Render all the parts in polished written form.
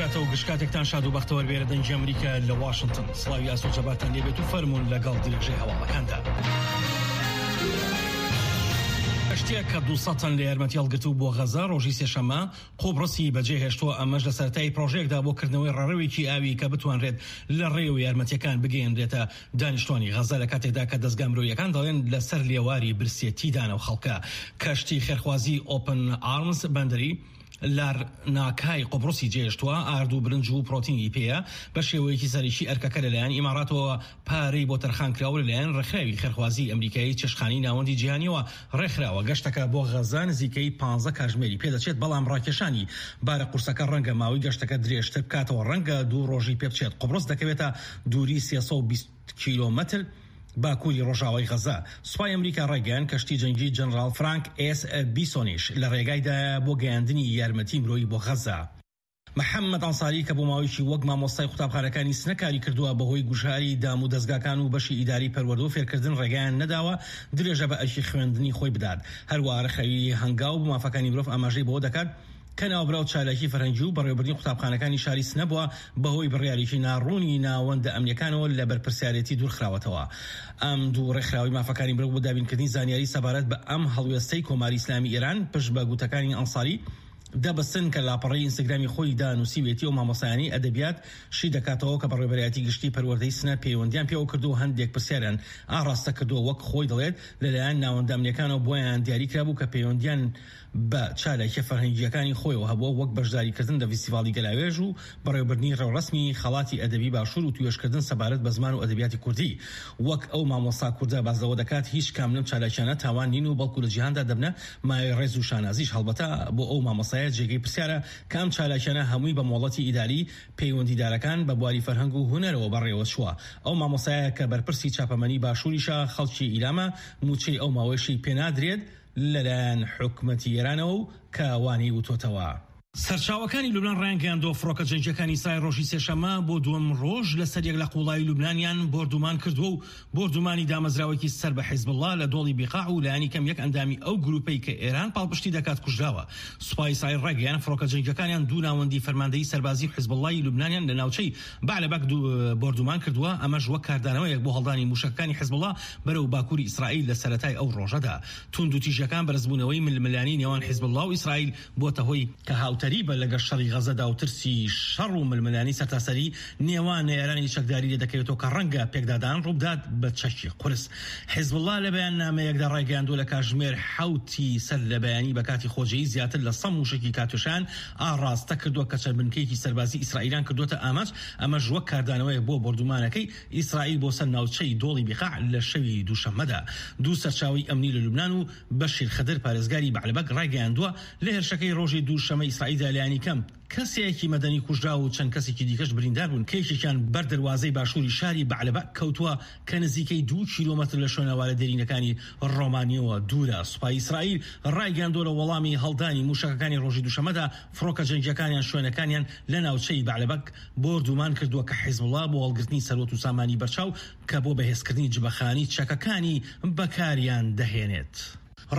کاتە و گشت کاتێکتان شاد و بەختەوەر بێرە دەنگی ئەمریکا لە واشنتن سڵاوی ئاسۆ جەبارتان لێبێت و فەرموون لەگەڵ درێژەی هەواڵەکاندا. کەشتییەک کە 200 تەن لە یارمەتی هەڵگرتبوو بۆ غەزە ڕۆژی سێشەممە قوبڕسی بەجێهێشتووە، ئەمەش لە سەرەتای پرۆژەیەکدا بۆ کردنەوەی ڕێڕەوێکی ئاوی کە بتوانرێت لە ڕێیەوە یارمەتییەکان بگەیەنرێتە دانیشتوانی غەزە لە کاتێکدا کە دەزگا مرۆییەکان دەڵێن لەسەر لێواری برسێتیدان ئەو خەڵکە. کەشتی خێرخوازی ئۆپن ئارمز بەندەری لارناکای قوبڕسی جێهێشتووە، ئارد و برنج و پرۆتینی پێیە، بە شێوەیەکی سەرەکی ئەرکەکە لەلایەن ئیماڕاتەوە پارەی بۆ تەرخانکراوە و لەلایەن ڕێکخراوی خێرخوازیی ئەمریکایی چێشتخانەی ناوەندی جیهانییەوە ڕێکخراوە، گەشتەکە بۆ غەززە نزیکەی پانزە کاژمێری پێدەچێت، بەڵام ڕاکێشانی بارە قورسەکە ڕەنگە ماوەی گەشتەکە درێژتر بکاتەوە، ڕەنگە دوو ڕۆژی پێبچێت. قوبڕس دەکەوێتە دووری 320 کیلۆمەتر باکووری ڕۆژئاوای غەززە. سوپای ئەمریکا ڕایگەیاند، کەشتی جەنگی جەنراڵ فرانک ئێس بیسۆنیش لە ڕێگایدایە بۆ گەیاندنی یارمەتی مرۆیی بۆ غەززە. محەممەد ئەنساری کە بۆ ماوەیەکی وەک مامۆستای قوتابخانەکانی سنە کاری کردووە، بەهۆی گوشاری دام و دەزگاکان و بەشی ئیداری پەروەردە و فێرکردن ڕێگایان نەداوە درێژە بە ئەرکی خوێندنی خۆی بدات. هەروەها ڕێکخراوی هەنگاو بۆ مافەکانی مرۆڤ ئاماژەی بەوە دەکات کە ناوبراو چالاکی فەرهەنگی و بەڕێوەبردنی قوتابخانەکانی شاری سنە بووە، بەهۆی بڕیارێکی ناڕوونی ناوەندە ئەمنییەکانەوە لە بەرپرسیارێتی دوورخراوەتەوە. ئەم دوو ڕێکخراوەی مافەکانی مرۆڤ بۆ دابینکردنی زانیاری سەبارەت بە ئەم هەڵوێستەی کۆماری ئیسلامی ئێران پشت بە گوتەکانی ئەنساری دەبەستن کە لاپەڕەی ئینستاگرامی خۆی دا نووسیوێتی ئەو مامۆستایانەی ئەدەبیات شی دەکاتەوە کە بەڕێوەبەرایەتی گشتی پەروەردەی سنە پەیوەندیان پێوە کردووە هەندێک پرسیاریان ئاڕاستە کردووە وەک خۆی دەڵێت لەلایەن ناوەندە ئەمنیەکانەوە بۆیان دیاری کرابوو کە پەیوەندیان بە چالاکیە فەرهەنگییەکانی خۆیەوە هەبووە وەک بەشداریکردن لە ڤیستیڤاڵی گەلاوێژ و بەڕێوەبردنی ڕێوڕەسمی خەڵاتی ئەدەبی باشوور و توێژکردن سەبارەت بە زمان و ئەدەبیاتی کوردی. وەک ئەو مامۆستا کوردە باس لەوە دەکات هیچ کام لەم چالاکیانە تاوان نین و بەڵکو لە جیهاندا دەبنە مایەی ڕێز و شانازیش هەڵبەتە بۆ ئەو مامۆستایە جێگەی پرسیارە کە ئەم چالاکیانە هەمووی بە مۆڵەتی ئیداری پەیوەندیدارەکان بە بواری فەرهەنگ و هونەرەوە بەڕێوەچووە. ئەو مامۆستایە کە بەرپرسی چاپەمەنی باشووریشە خەڵکی ئیلامە مووچەی ئەو ماوەیشی پێنادرێت لەلایەن حکومەتی ئێرانەوە و کە وانەی وتۆتەوە. سەرچاوەکانی لوبنان ڕایانگەیاندووە، فڕۆکە جەنگییەکانی ئیسرائیل ڕۆژی سێشەممە بۆ دووەم ڕۆژ لەسەریەک لە قووڵایی لوبنانیان بۆردومان کردووە و بۆردومانی دامەزراوەیەکی سەر بە حیزبوڵڵا لە دۆڵی بیقاع و لایەنی کەم یەک ئەندامی ئەو گرووپەی کە ئێران پاڵپشتی دەکات کوژراوە. سوپای ئیسرائیل ڕایگەیاند، فڕۆکە جەنگییەکانیان دوو ناوەندی فەرماندەیی سەربازیی حیزبوڵڵای لوبنانیان لە ناوچەی بەعلەبەک بۆردومان کردووە، ئەمەش وەک کاردانەوەیەک بۆ هەڵدانی مووشەکەکانی حیزبوڵڵا بەرەو باکووری ئیسرائیل لە سەرەتای ئەو ڕۆژەدا. توندوتیژیەکان بەرزبوونەوەی ململانێی نێوان حیزبوڵڵا و ئیسرائیل بۆتە هۆی، کە هاوتەریبە لەگەڵ شەڕی غەزەدا و ترسی شەڕ و ململانێی سەرتاسەری نێوان نەیارانی چەکداری لێدەکەوێتەوە کە ڕەنگە پێکدادان ڕووبدات بە چەکی قورس. حیزبوڵڵا لە بەیاننامەیەکدا ڕایگەیاندووە لە کاژمێر حەوتی سەر لە بەیانی بە کاتی خۆجێی زیاتر لە سە مووشەکی کاتیۆشایان ئاڕاستە کردووە کە چەند بنکەیەکی سەربازی ئیسرائیلیان کردووەتە ئامانج، ئەمەش وەک کاردانەوەیەک بۆ بۆردومانەکەی ئیسرائیل بۆ سەر ناوچەی دۆڵی بیقاع لە شەوی دووشەممەدا. دوو سەرچاوەی ئەمنی لە لوبنان و بەشیر خدر پارێزگاری بەعلبەک ڕایگەیاندووە، لە هێرشەکەی ڕۆژی دووشەممەی ئیسرائیلدا لایەنیکەم کەسێکی مەدەنی کوژرا و چەند کەسێکی دیکەش بریندار بوون کە یەکێکیان بەر دەروازەی باشووری شاری بەعلبەک کەوتووە کە نزیکەی دوو کیلۆمەتر لە شوێنەوارە دێرینەکانی ڕۆمانییەوە دوورە. سوپای ئیسرائیل ڕایگەیاندووە لە وەڵامی هەڵدانی مووشەکەکانی ڕۆژی دووشەممەدا فڕۆکە جەنگییەکانیان شوێنەکانیان لە ناوچەی بەعلبەک بۆردومان کردووە کە حیزبوڵا بۆ هەڵگرتنی سەروەت و سامانی بەرچاو کە بۆ بەهێزکردنی جبەخانەی چەکەکانی بەکاریان دەهێنێت.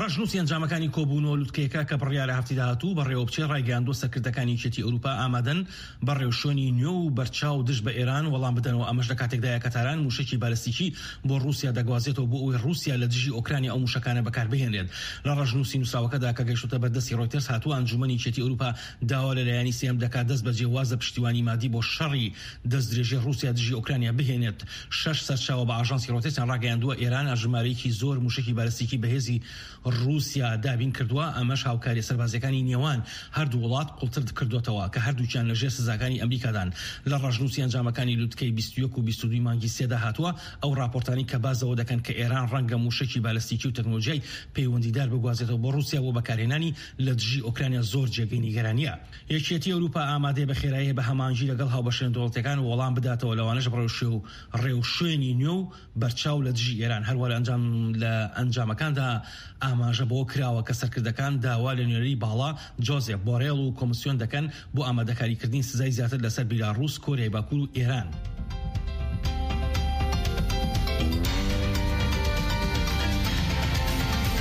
ڕەشنووسی ئەنجامەکانی کۆبوونەوە لوتکەیەکە کە بڕیارە هەفتەی داهاتوو بەڕێوەبچێت ڕایگەیاندووە سەرکردەکانی یەکێتی ئەوروپا ئامادەن بە ڕێوشوێنی نوێ و بەرچاو دژ بە ئێران وەڵام بدەنەوە ئەمەش لە کاتێکدایە کە تاران مووشەکی بالستیکی بۆ ڕووسیا دەگوازێتەوە بۆ ئەوەی ڕووسیا لە دژی ئۆکرانیا ئەو مووشەکانە بەکاربهێنرێت. لە ڕەشنووسی نووسراوەکەدا کە گەیشتۆتە بەردەستی ڕۆیتەرز هاتووە ئەنجوومەنی یەکێتی ئەوروپا داوا لە لایەنی سێیەم دەکات دەستبەجێ واز لە پشتیوانی مادی بۆ شەڕی دەستدرێژی ڕووسیا دژی ئۆکرانیا بهێنێت. شەش سەرچاوە بە ئاژانسی ڕۆیتەرزیان ڕاگەیاندووە، ئێران ژمارەیەکی زۆر مووشەکی بالستیکی بەهێزی ڕووسیا دابین کردووە، ئەمەش هاوکارییە سەربازییەکانی نێوان هەردوو وڵات قوڵتر کردۆتەوە کە هەردووکیان لە ژێر سزاکانی ئەمریکادان. لە ڕەشنووسی ئەنجامەکانی لوتکەی 21 و 22 مانگی سێدا هاتووە، ئەو ڕاپۆرتانەی کە باس لەوە دەکەن کە ئێران ڕەنگە مووشەکی بالستیکی و تەکنۆلۆژیای پەیوەندیدار بگوازێتەوە بۆ ڕووسیا بۆ بەکارهێنانی لە دژی ئۆکرانیا زۆر جێگەی نیگەرانییە. یەکێتی ئەوروپا ئامادەیە بە خێرایی بە هەماهەنگی لەگەڵ هاوبەشە نێودەوڵەتییەکان وەڵام بداتەوە لەوانەش ڕێوشوێنی نوێ و بەرچاو لە دژی ئێران. هەروەها لە ئەنجام لە ئەنجامەکاندا ئاماژە بەوە کراوە کە سەرکردەکان داوا لە نوێنەری باڵا جۆزێپ بۆرێڵ و کۆمسیۆن دەکەن بۆ ئامادەکاریکردنی سزای زیاتر لەسەر بیلاڕووس، کۆریای باکوور و ئێران.